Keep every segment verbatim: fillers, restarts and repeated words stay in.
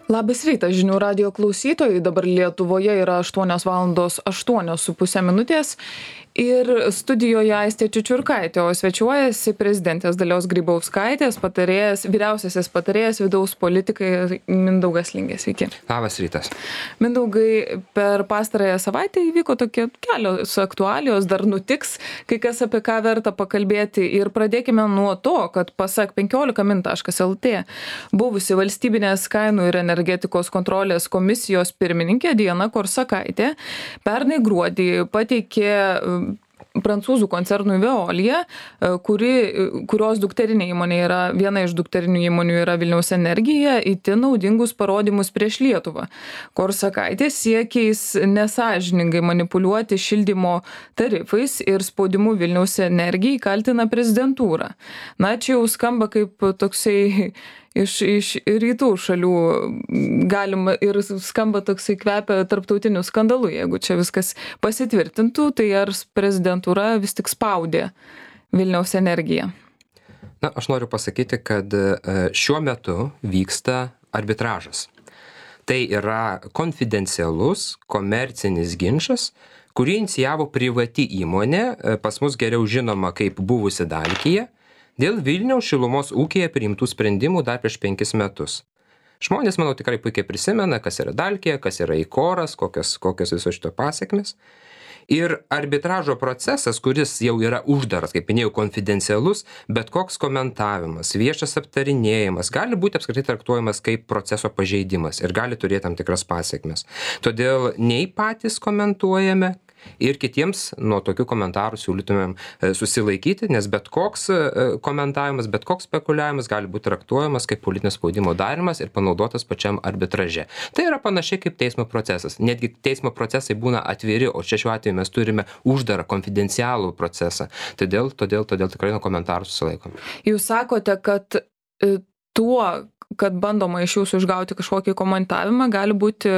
Labas rytas, žinių radijo klausytojai. Dabar Lietuvoje yra aštuonios valandos aštuonios su pusė minutės ir studijoje Aistė Čiučiurkaitė, o svečiuojasi prezidentės Dalios Grybauskaitės patarėjas, vyriausiasis patarėjas vidaus politikai Mindaugas Lingė. Sveiki. Labas rytas. Mindaugai, per pastarąją savaitę įvyko tokie kelios aktualijos, dar nutiks, kai kas apie ką verta pakalbėti. Ir pradėkime nuo to, kad pasak penkiolika min taškas lt buvusi valstybinės kainų ir energetikos kontrolės komisijos pirmininkė Diana Korsakaitė pernai gruodį pateikė prancūzų koncernui Veolia, kuri, kurios dukterinė įmonė yra, viena iš dukterinių įmonių yra Vilniaus Energija, itin naudingus parodymus prieš Lietuvą. Korsakaitė siekiais nesąžiningai manipuliuoti šildymo tarifais ir spaudimu Vilniaus Energijai kaltina prezidentūrą. Na, čia jau skamba kaip toksai iš, iš rytų šalių galima ir skamba toksai kvepia tarptautiniu skandalu. Jeigu čia viskas pasitvirtintų, tai ar prezidentūra vis tik spaudė Vilniaus Energiją? Na, aš noriu pasakyti, kad šiuo metu vyksta arbitražas. Tai yra konfidencialus, komercinis ginčas, kurį inicijavo privati įmonė, pas mus geriau žinoma kaip buvusi Dalkija, dėl Vilniaus šilumos ūkyje priimtų sprendimų dar prieš penkis metus. Žmonės, manau, tikrai puikiai prisimena, kas yra Dalkija, kas yra Ikoras, kokios, kokios viso šito pasiekmes. Ir arbitražo procesas, kuris jau yra uždaras, kaip minėjau, konfidencialus, bet koks komentavimas, viešas aptarinėjimas gali būti apskritai traktuojamas kaip proceso pažeidimas ir gali turėti tam tikras pasiekmes. Todėl nei patys komentuojame, ir kitiems nuo tokių komentarų siūlytumėm susilaikyti, nes bet koks komentavimas, bet koks spekuliavimas gali būti traktuojamas kaip politinio spaudimo darimas ir panaudotas pačiam arbitraže. Tai yra panašiai kaip teismo procesas. Netgi teismo procesai būna atviri, o čia šiuo atveju mes turime uždarą, konfidencialų procesą. Todėl, todėl, todėl tikrai nuo komentarų susilaikom. Jūs sakote, kad tuo, kad bandoma iš jūsų išgauti kažkokį komentavimą, gali būti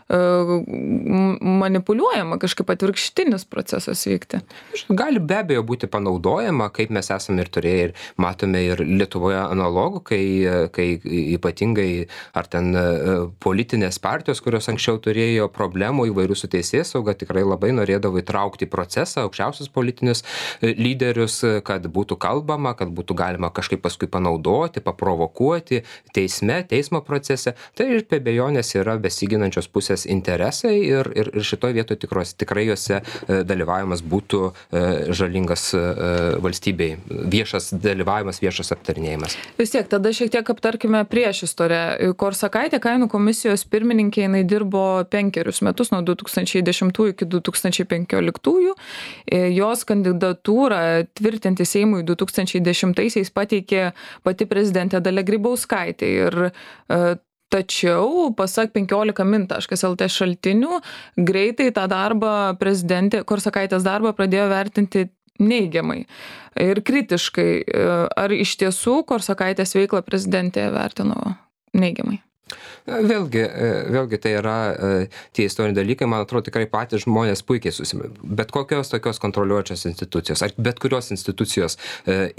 manipuliuojama, kažkaip atvirkštinis procesas vykti. Gali be abejo būti panaudojama, kaip mes esame ir turėję ir matome ir Lietuvoje analogų, kai, kai ypatingai ar ten politinės partijos, kurios anksčiau turėjo problemų įvairių su teisėsauga, tikrai labai norėdavo įtraukti į procesą aukščiausius politinius lyderius, kad būtų kalbama, kad būtų galima kažkaip paskui panaudoti, paprovokuoti teisme, teismo procese. Tai ir be abejonės yra besiginančios pusės interesai ir, ir, ir šitoje vietoje tikros, tikrai juose dalyvavimas būtų žalingas valstybei. Viešas dalyvavimas, viešas aptarinėjimas. Vis tiek, tada šiek tiek aptarkime priešistorę. Korsakaitė kainų komisijos pirmininkė, jinai dirbo penkerius metus, nuo du tūkstančiai dešimtųjų iki du tūkstančiai penkioliktųjų. Jos kandidatūrą tvirtinti Seimui du tūkstančiai dešimtaisiais pateikė pati prezidentė Dalia Grybauskaitė. Ir tačiau, pasak penkiolika min taškas lt šaltinių, greitai tą darbą prezidentė, Korsakaitės darbą pradėjo vertinti neigiamai ir kritiškai. Ar iš tiesų Korsakaitės veiklą prezidentė vertino neigiamai? Vėlgi, vėlgi tai yra tie istoriniai dalykai, man atrodo, tikrai patys žmonės puikiai susimė. Bet kokios tokios kontroliuojančios institucijos, ar bet kurios institucijos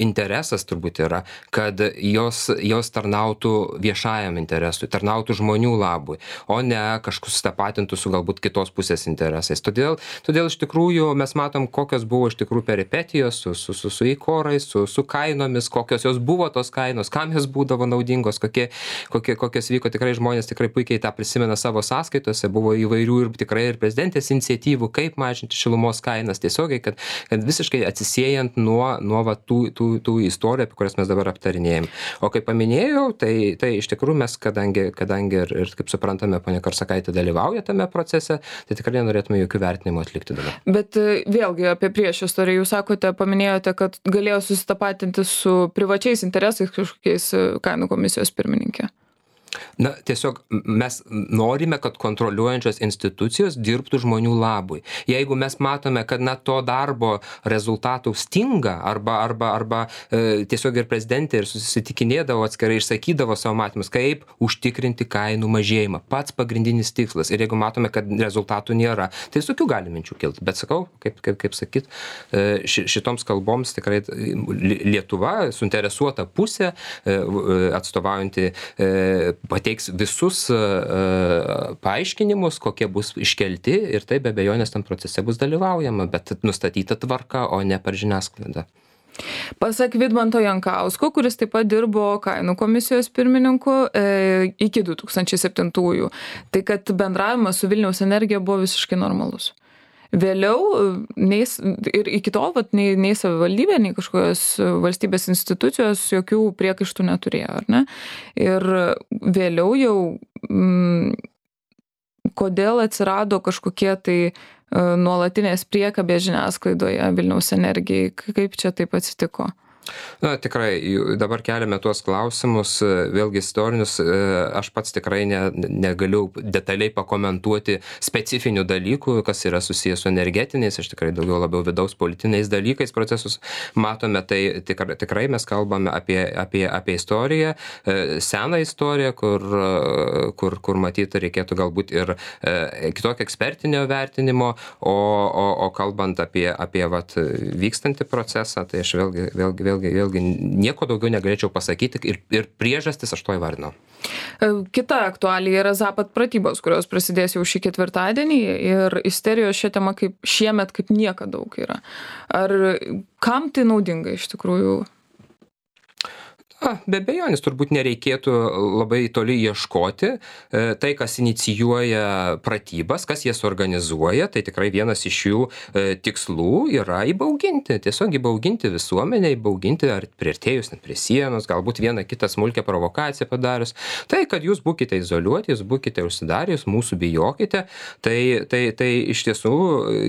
interesas turbūt yra, kad jos, jos tarnautų viešajam interesui, tarnautų žmonių labui, o ne kažkus tapatintų su galbūt kitos pusės interesais. Todėl, todėl iš tikrųjų mes matom, kokios buvo iš tikrųjų peripetijos su, su, su, su įkorais, su, su kainomis, kokios jos buvo tos kainos, kam jos būdavo naudingos, kokie, kokie, kokios vyko. Tikrai žmonės tikrai puikiai tą prisimena savo sąskaitose, buvo įvairių ir tikrai ir prezidentės iniciatyvų, kaip mažinti šilumos kainas tiesiogiai, kad, kad visiškai atsisiejant nuo, nuo va, tų, tų, tų istorijų, apie kurias mes dabar aptarinėjom. O kaip paminėjau, tai, tai iš tikrųjų mes, kadangi, kadangi ir, ir kaip suprantame, ponia Korsakaitė dalyvauja tame procese, tai tikrai nenorėtume jokių vertinimų atlikti dabar. Bet vėlgi apie priešistoriją, jūs sakote, paminėjote, kad galėjo susitapatinti su privačiais interesais kažkokiais kainų komisijos pirmininkė. Na, tiesiog mes norime, kad kontroliuojančios institucijos dirbtų žmonių labui. Jeigu mes matome, kad na, to darbo rezultatų stinga, arba, arba, arba e, tiesiog ir prezidentė ir susitikinėdavo atskirai, išsakydavo savo matymus, kaip užtikrinti kainų mažėjimą. Pats pagrindinis tikslas. Ir jeigu matome, kad rezultatų nėra, tai visokių gali minčių kilti. Bet sakau, kaip, kaip, kaip sakyt, e, šitoms kalboms tikrai Lietuva, suinteresuota pusė, e, atstovaujanti e, pati pateiks visus paaiškinimus, kokie bus iškelti ir tai be abejonės tam procese bus dalyvaujama, bet nustatyta tvarka, o ne per žiniasklaidą. Pasak Vidmanto Jankausko, kuris taip pat dirbo kainų komisijos pirmininku e, iki du tūkstančiai septintųjų, tai kad bendravimas su Vilniaus Energija buvo visiškai normalus. Vėliau, nei, ir iki tol, vat, nei, nei savivaldybė, nei kažkokios valstybės institucijos jokių priekaištų neturėjo, ar ne? Ir vėliau jau, m, kodėl atsirado kažkokie tai nuolatinės priekabės žiniasklaidoje Vilniaus Energijai, kaip čia taip atsitiko? Na, tikrai, dabar keliame tuos klausimus, vėlgi istorinius, aš pats tikrai ne, negaliu detaliai pakomentuoti specifinių dalykų, kas yra susijęs su energetiniais, aš tikrai daugiau labiau vidaus politiniais dalykais procesus matome, tai tikrai, tikrai mes kalbame apie, apie, apie istoriją, seną istoriją, kur, kur, kur matyti reikėtų galbūt ir kitokio ekspertinio vertinimo, o, o, o kalbant apie, apie vat, vykstantį procesą, tai aš vėlgi, vėlgi, vėlgi Vėlgi, vėlgi nieko daugiau negalėčiau pasakyti ir, ir priežastis aš to įvardinau. Kita aktualija yra Zapad pratybos, kurios prasidės jau šį ketvirtadienį ir isterijos šią temą kaip šiemet kaip niekada daug yra. Ar kam tai naudinga iš tikrųjų? A, be abejonės, turbūt nereikėtų labai toli ieškoti. E, tai, kas inicijuoja pratybas, kas jas organizuoja, tai tikrai vienas iš jų e, tikslų yra įbauginti, tiesiog įbauginti visuomenę, įbauginti ar priartėjus net prie sienos, galbūt vieną kitą smulkę provokaciją padarius. Tai, kad jūs būkite izoliuoti, jūs būkite užsidarę, jūs mūsų bijokite, tai, tai, tai iš tiesų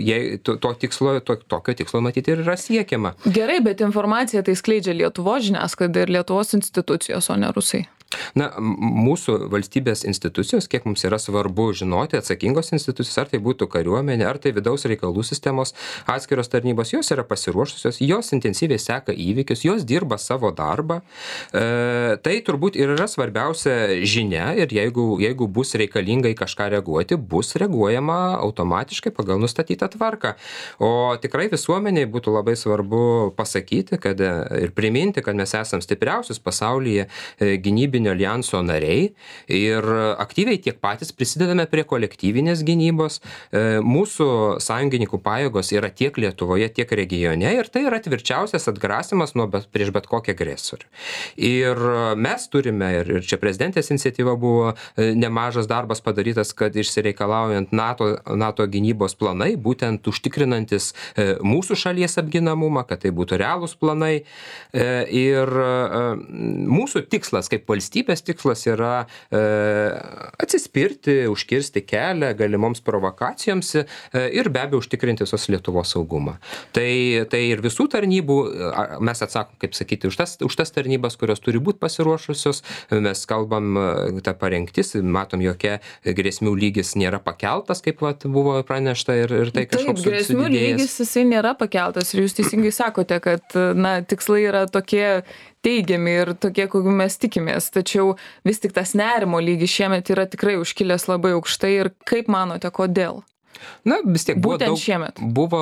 jei, to, to tikslo, to, tokio tikslo matyti ir yra siekiama. Gerai, bet informaciją tai skleidžia Lietuvos žiniasklaida ir Lietuvos institucijos, o ne rusai. Na, mūsų valstybės institucijos, kiek mums yra svarbu žinoti, atsakingos institucijos, ar tai būtų kariuomenė, ar tai vidaus reikalų sistemos atskiros tarnybos, jos yra pasiruošusios, jos intensyviai seka įvykius, jos dirba savo darbą. E, tai turbūt ir yra svarbiausia žinia ir jeigu, jeigu bus reikalingai kažką reaguoti, bus reaguojama automatiškai pagal nustatytą tvarką. O tikrai visuomeniai būtų labai svarbu pasakyti, kad ir priminti, kad mes esam stipriausius pasaulyje gynybinio alijanso nariai ir aktyviai tiek patys prisidedame prie kolektyvinės gynybos. Mūsų sąjungininkų pajėgos yra tiek Lietuvoje, tiek regione ir tai yra tvirčiausias atgrasimas nuo bet, prieš bet kokią agresorių. Ir mes turime, ir, ir čia prezidentės iniciatyva buvo nemažas darbas padarytas, kad išsireikalaujant NATO, NATO gynybos planai, būtent užtikrinantis mūsų šalies apginamumą, kad tai būtų realūs planai. Ir mūsų tikslas kaip valstybės Valstybės tikslas yra e, atsispirti, užkirsti kelią galimoms provokacijoms e, ir be abejo užtikrinti visos Lietuvos saugumą. Tai, tai ir visų tarnybų, mes atsakom, kaip sakyti, už tas, už tas tarnybas, kurios turi būti pasiruošusios, mes kalbam tą parengtis, matom, jokia grėsmių lygis nėra pakeltas, kaip vat, buvo pranešta ir, ir tai kažkoks Taip, grėsmių lygis jisai nėra pakeltas ir jūs teisingai sakote, kad na, tikslai yra tokie teigiami ir tokie, kokių mes tikimės. Tačiau vis tik tas nerimo lygis šiemet yra tikrai užkilęs labai aukštai ir kaip manote, kodėl? Na, vis tiek buvo, Būtent daug, šiemet. buvo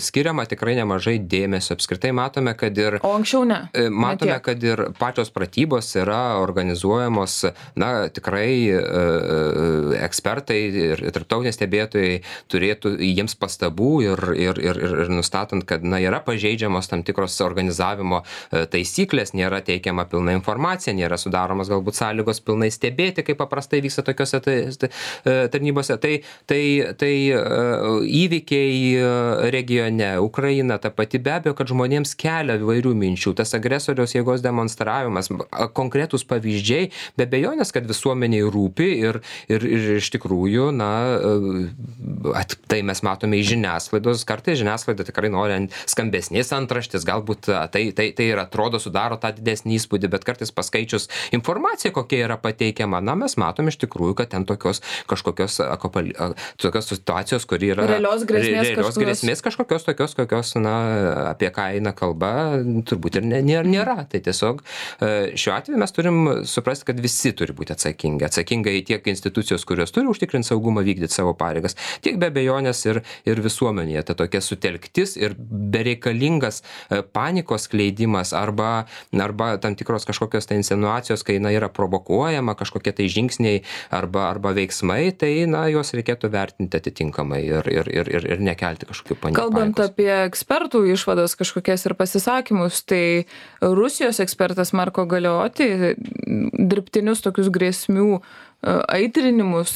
skiriama tikrai nemažai dėmesio. Apskritai matome, kad ir, o anksčiau ne. matome, ne kad ir pačios pratybos yra organizuojamos, na, tikrai e, ekspertai ir tarptautiniai stebėtojai turėtų jiems pastabų ir, ir, ir, ir nustatant, kad na, yra pažeidžiamos tam tikros organizavimo taisyklės, nėra teikiama pilna informacija, nėra sudaromas galbūt sąlygos pilnai stebėti, kaip paprastai vyksta tokiuose tarnybose. Tai, tai, tai įvykiai regione, Ukraina, ta pati be abejo, kad žmonėms kelia įvairių minčių, tas agresoriaus jėgos demonstravimas, konkretūs pavyzdžiai, be abejonės, kad visuomeniai rūpi ir, ir, ir iš tikrųjų, na, at, tai mes matome iš žiniasklaidos, kartais žiniasklaida tikrai nori skambesnės antraštės, galbūt tai, tai, tai ir atrodo sudaro tą didesnį įspūdį, bet kartais paskaičius informaciją, kokia yra pateikiama, na, mes matom iš tikrųjų, kad ten tokios kažkokios akopali, tokios situacijos, kuri yra realios grėsmės, realios kažkokios... grėsmės kažkokios tokios, kokios, na, apie ką eina kalba, turbūt ir nėra. nėra. Tai tiesiog šiuo atveju mes turim suprasti, kad visi turi būti atsakingi. Atsakingai tiek institucijos, kurios institucijos turi užtikrinti saugumą, vykdyti savo pareigas, tiek be abejonės ir, ir visuomenėje. Tai tokia sutelktis ir bereikalingas panikos skleidimas arba, arba tam tikros kažkokios tai insinuacijos, kai na, yra provokuojama kažkokie tai žingsniai arba, arba veiksmai, tai na, juos reikėtų vertinti atitinkamai ir, ir, ir, ir, ir nekelti kažkokių panikos. Kalbant apie ekspertų išvadas kažkokias ir pasisakymus, tai Rusijos ekspertas Marko Galeoti dirbtinius tokius grėsmių aitrinimus,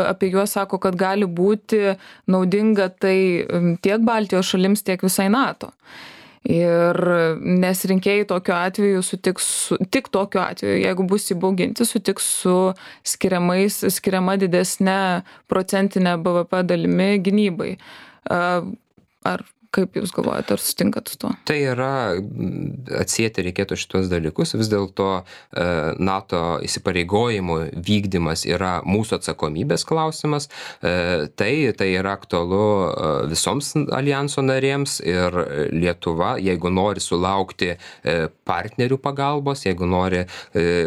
apie juos sako, kad gali būti naudinga tai tiek Baltijos šalims, tiek visai NATO. Ir nes rinkėjai tokiu atveju sutiks, su, tik tokiu atveju, jeigu bus įbauginti, sutiks su skiriamais, skiriama didesnė procentinė B V P dalimi gynybai. Ar kaip Jūs galvojate, ar sutinkat su tuo? Tai yra, atsieti reikėtų šitos dalykus, vis dėlto NATO įsipareigojimų vykdymas yra mūsų atsakomybės klausimas, tai, tai yra aktualu visoms alijanso narėms ir Lietuva, jeigu nori sulaukti partnerių pagalbos, jeigu nori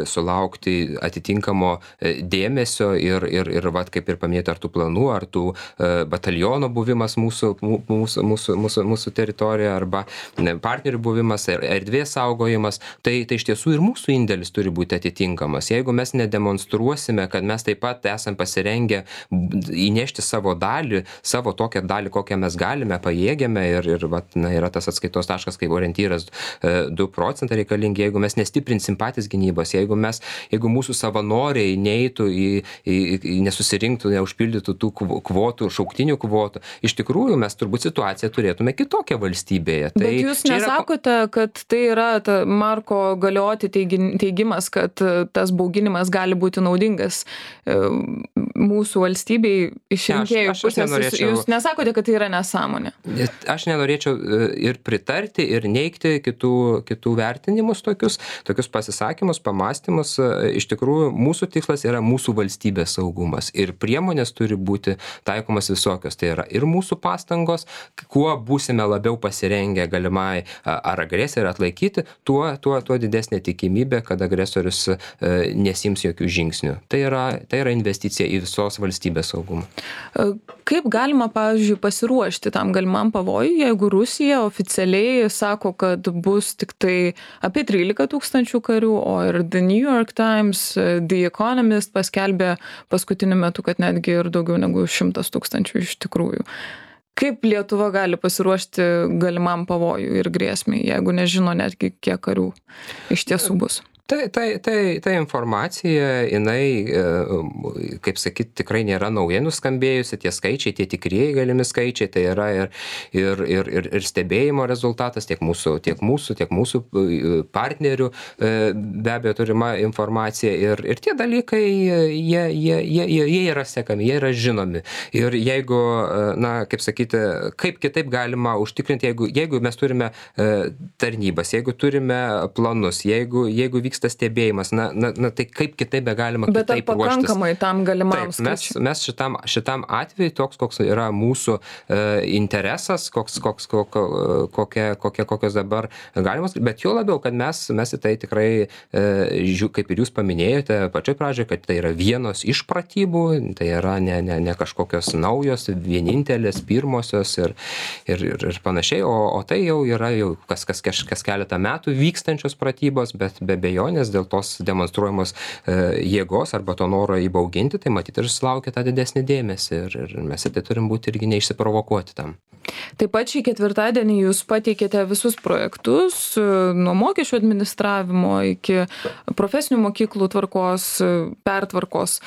sulaukti atitinkamo dėmesio ir, ir, ir vat, kaip ir paminėti, ar tų planų, ar tų bataliono buvimas mūsų, mūsų, mūsų, mūsų Mūsų, mūsų teritorija arba partnerių buvimas ir erdvės saugojimas, tai, tai iš tiesų ir mūsų indėlis turi būti atitinkamas. Jeigu mes nedemonstruosime, kad mes taip pat esam pasirengę įnešti savo dalį, savo tokią dalį, kokią mes galime, pajėgiame ir, ir vat, na, yra tas atskaitos taškas kaip orientyras du procentai reikalingi, jeigu mes nestiprinsim patys gynybos, jeigu, mes, jeigu mūsų savanoriai neeitų į, į, į nesusirinktų, neužpildytų tų kvotų, šauktinių kvotų, iš tikrųjų mes turbūt situaciją turėtume kitokią valstybėje. Tai bet jūs nesakote, yra... kad tai yra ta Marko Galeoti teigimas, kad tas bauginimas gali būti naudingas mūsų valstybei iš rinkėjų pusės. Nenorėčiau... Jūs nesakote, kad tai yra nesąmonė. Aš nenorėčiau ir pritarti, ir neigti kitų, kitų vertinimus tokius, tokius pasisakymus, pamastymus. Iš tikrųjų, mūsų tikslas yra mūsų valstybės saugumas ir priemonės turi būti taikomas visokios. Tai yra ir mūsų pastangos, kuo būsime labiau pasirengę galimai ar agresiją atlaikyti, tuo, tuo, tuo didesnė tikimybė, kad agresorius nesiims jokių žingsnių. Tai yra, tai yra investicija į visos valstybės saugumą. Kaip galima, pavyzdžiui, pasiruošti tam galimam pavojui, jeigu Rusija oficialiai sako, kad bus tik tai apie trylika tūkstančių karių, o ir The New York Times, The Economist paskelbė paskutiniu metu, kad netgi ir daugiau negu šimtas tūkstančių iš tikrųjų. Kaip Lietuva gali pasiruošti galimam pavojui ir grėsmiai, jeigu nežino netgi kiek karių iš tiesų bus? Tai, tai, tai, tai informacija, jinai, kaip sakyt, tikrai nėra naujai nuskambėjusi, tie skaičiai, tie tikrieji galimi skaičiai, tai yra ir, ir, ir, ir, ir stebėjimo rezultatas tiek mūsų, tiek mūsų, tiek mūsų partnerių be abejo turima informacija ir, ir tie dalykai, jie, jie, jie, jie yra sekami, jie yra žinomi. Ir jeigu, na, kaip sakyti, kaip kitaip galima užtikrinti, jeigu, jeigu mes turime tarnybas, jeigu turime planus, jeigu, jeigu vyks tas stebėjimas, na, na, na tai kaip kitaip be galima bet kitaip ruoštis. Bet ar pakankamai tam galimam skaičiui? Mes, mes šitam, šitam atveju toks, koks yra mūsų e, interesas, koks, koks, kok, kokie, kokie, kokios dabar galimos, bet jo labiau, kad mes, mes į tai tikrai, e, žiū, kaip ir jūs paminėjote pačioj pradžioje, kad tai yra vienos iš pratybų, tai yra ne, ne, ne kažkokios naujos, vienintelės, pirmosios ir, ir, ir, ir panašiai, o, o tai jau yra jau kas, kas, kas, kas keletą metų vykstančios pratybos, bet be abejo, nes dėl tos demonstruojamos e, jėgos arba to noro įbauginti, tai matyti ir sulaukia tą didesnį dėmesį ir, ir mes tai turim būti irgi neišsiprovokuoti tam. Taip pat šį ketvirtadienį jūs pateikėte visus projektus nuo mokesčių administravimo iki profesinių mokyklų tvarkos, pertvarkos.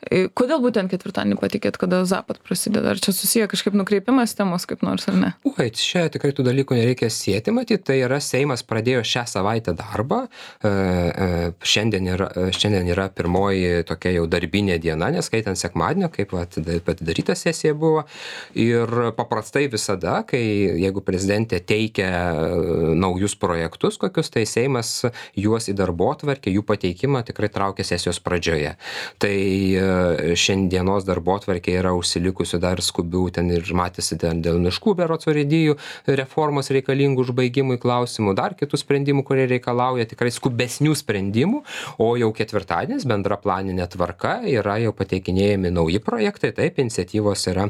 Kodėl būtent ketvirtadienį pateikėt, kada Zapat prasideda? Ar čia susiję kažkaip nukreipimas temos kaip nors ar ne? Ui, čia tikrai tų dalykų nereikia sieti, matyti, tai yra Seimas pradėjo šią savaitę darbą. Šiandien yra, šiandien yra pirmoji tokia jau darbinė diena, neskaitant sekmadienio, kaip atidaryta sesija buvo. Ir paprastai visada, kai jeigu prezidentė teikia naujus projektus kokius, tai Seimas juos į darbotvarkę, jų pateikimą tikrai traukia sesijos pradžioje. Tai šiandienos darbotvarkė yra užsilikusių dar skubių, ten ir matėsi dėl miškų berods urėdijų reformos reikalingų užbaigimui klausimų, dar kitų sprendimų, kurie reikalauja tikrai skubesnių sprendimų, o jau ketvirtadienis bendra planinė tvarka yra jau pateikinėjami nauji projektai, taip, iniciatyvos yra.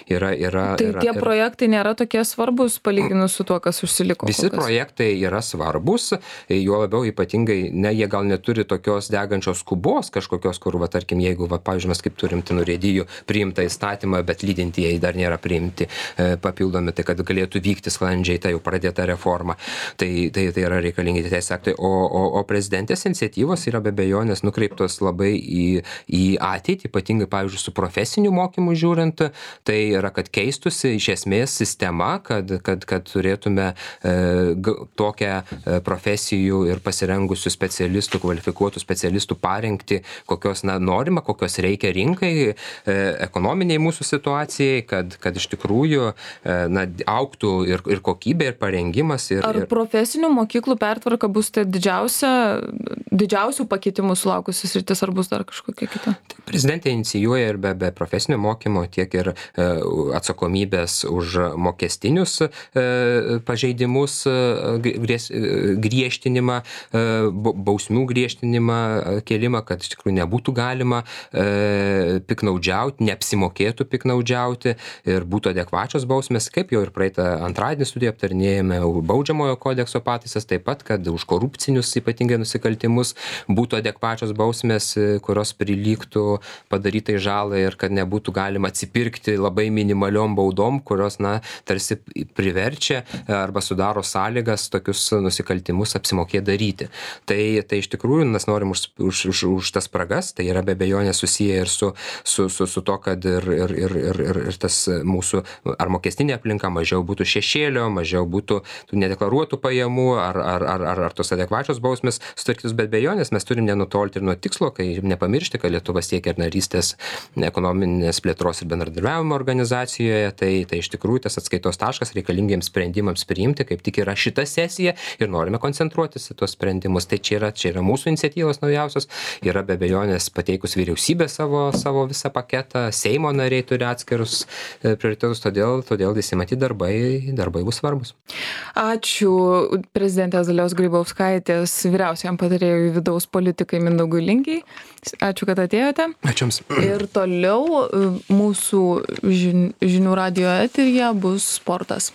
yra, yra tai yra, tie yra, projektai nėra tokie svarbus palyginus su tuo, kas užsiliko? Visi projektai yra svarbus, juo labiau ypatingai, ne, jie gal neturi tokios degančios skubos kažkokios, kur, va, tarkim, jeigu, va, pavyzdžiui, mes kaip turim ten urėdijų priimtą įstatymą, bet lydintieji dar nėra priimti e, papildomi, tai kad galėtų vykti sklandžiai ta jau pradėta reforma, tai, tai, tai yra reikalingi teisės aktai, o, o, o prezidentės iniciatyvos yra be abejonės nukreiptos labai į, į ateitį, ypatingai, pavyzdžiui, su profesiniu mokymu žiūrint, tai yra, kad keistusi iš esmės sistema, kad, kad, kad turėtume e, g, tokią e, profesijų ir pasirengusių specialistų, kvalifikuotų specialistų parengti, kokios na, norima, kokios reikia rinkai, e, ekonominiai mūsų situacijai, kad, kad iš tikrųjų e, na, augtų ir, ir kokybė, ir parengimas. Ir, Ar ir... profesinių mokyklų pertvarka bus tai didžiausia, didžiausių pakeitimų sulaukusi sritis, ar bus dar kažkokia kita? Tai prezidentė inicijuoja ir be, be profesinio mokymo, tiek ir e, atsakomybės už mokestinius e, pažeidimus, e, grės, e, griežtinimą, e, bausmių griežtinimą, e, kėlimą, kad iš tikrųjų nebūtų galima e, piknaudžiauti, neapsimokėtų piknaudžiauti ir būtų adekvačios bausmės, kaip jau ir praeitą antradienį studiją aptarnėjame baudžiamojo kodekso pataisas, taip pat, kad už korupcinius ypatingai nusikaltimus būtų adekvačios bausmės, kurios prilygtų padarytai žalai ir kad nebūtų galima atsipirkti labai minimaliom baudom, kurios, na, tarsi priverčia arba sudaro sąlygas tokius nusikaltimus apsimokėti daryti. Tai, tai iš tikrųjų mes norim už, už, už, už tas spragas, tai yra be abejonės susiję ir su, su, su, su to, kad ir, ir, ir, ir, ir, ir tas mūsų ar mokestinė aplinka mažiau būtų šešėlio, mažiau būtų tų nedeklaruotų pajamų ar, ar, ar, ar, ar tos adekvačios bausmės sutvarkytus, bet be abejonės mes turim nenutolti ir nuo tikslo, kai nepamiršti, kad Lietuva siekia ir narystės ekonominės plėtros ir bendradarbiavimo organizacijoje, tai, tai iš tikrųjų tas atskaitos taškas reikalingiems sprendimams priimti, kaip tik yra šita sesija ir norime koncentruotis į tos sprendimus. Tai čia yra, čia yra mūsų iniciatyvos naujausios, yra be abejonės pateikus vyriausybė savo, savo visą paketą, Seimo nariai turi atskirus prioritetus, todėl, todėl visi matyti darbai, darbai bus svarbus. Ačiū prezidentės Dalios Grybauskaitės vyriausiam patarėjui vidaus politikai Mindaugui Lingiai. Ačiū, kad atėjote. Ačiū Jums. Ir toliau mūsų žinių radijo eteryje bus sportas.